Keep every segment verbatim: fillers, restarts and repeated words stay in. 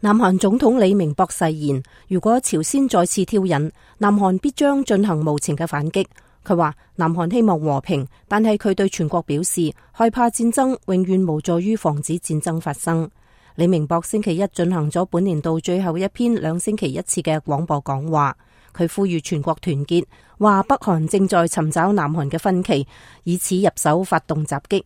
南韓總統李明博誓言，如果朝鮮再次挑釁，南韓必將進行無情嘅反擊。佢話南韓希望和平，但係佢對全國表示，害怕戰爭永遠無助於防止戰爭發生。李明博星期一進行咗本年度最後一篇兩星期一次嘅廣播講話，佢呼籲全國團結，話北韓正在尋找南韓嘅分歧，以此入手發動襲擊。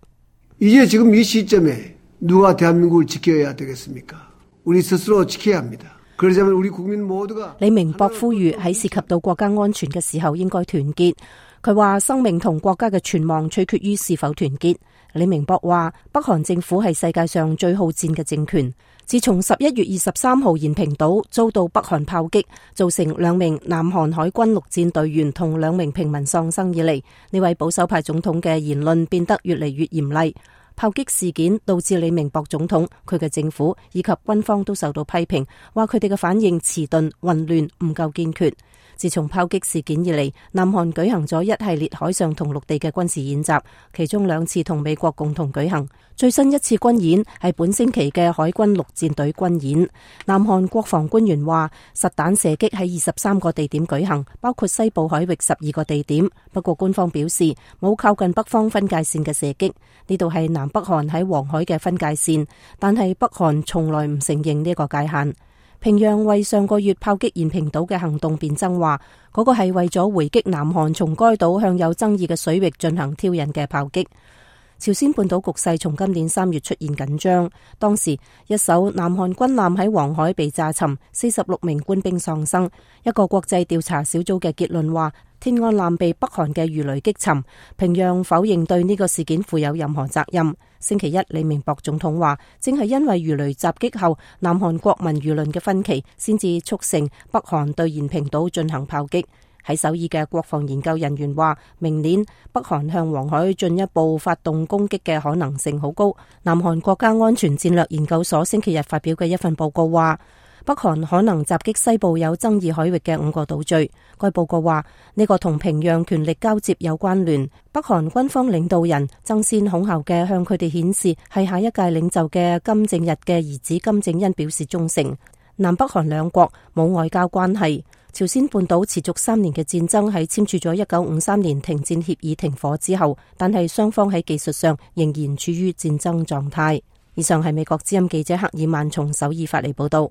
이제 지금 이 시점에 누가 대한민국을 지켜야 되겠습니까? 우리 스스로 지켜야 합니다. 그러자면 우리 국민 모두가李明博呼籲喺涉及到國家安全嘅時候應該團結。佢話生命同國家嘅存亡取決於是否團結。李明博話北韓政府係世界上最好戰嘅政權。自從十一月二十三號延平島遭到北韓炮擊，造成兩名南韓海軍陸戰隊員同兩名平民喪生以嚟，呢位保守派總統嘅言論變得越嚟越嚴厲。炮擊事件導致李明博總統、佢嘅政府以及軍方都受到批評，話佢哋嘅反應遲鈍、混亂、唔夠堅決。自從炮擊事件以嚟，南韓舉行咗一系列海上同陸地嘅軍事演習，其中兩次同美國共同舉行。最新一次軍演係本星期嘅海軍陸戰隊軍演。南韓國防官員話，實彈射擊喺二十三個地點舉行，包括西部海域十二個地點。不過官方表示冇靠近北方分界線嘅射擊，呢度係南北韓喺黃海嘅分界線，但係北韓從來唔承認呢個界限。平壤為上個月炮擊延平島嘅行動辯稱話，嗰個係為咗回擊南韓從該島向有爭議嘅水域進行挑釁嘅炮擊。朝鮮半島局勢從今年三月出現緊張，當時一艘南韓軍艦喺黃海被炸沉，四十六名官兵喪生。一個國際調查小組嘅結論話，天安艦被北韓嘅魚雷擊沉，平壤否認對呢個事件負有任何責任。星期一，李明博總統話，正係因為魚雷襲擊後南韓國民輿論嘅分歧，先至促成北韓對延平島進行炮擊。喺首爾嘅國防研究人員話，明年北韓向黃海進一步發動攻擊嘅可能性好高。南韓國家安全戰略研究所星期日發表嘅一份報告話，北韓可能襲擊西部有爭議海域嘅五個島嶼。該報告話，呢個同平壤權力交接有關聯。北韓軍方領導人爭先恐後嘅向佢哋顯示係下一屆領袖嘅金正日嘅兒子金正恩表示忠誠。南北韓兩國冇外交關係。朝鮮半島持續三年嘅戰爭喺簽署咗一九五三年停戰協議停火之後，但係雙方喺技術上仍然處於戰爭狀態。以上係美國之音記者克爾曼從首爾發嚟報道。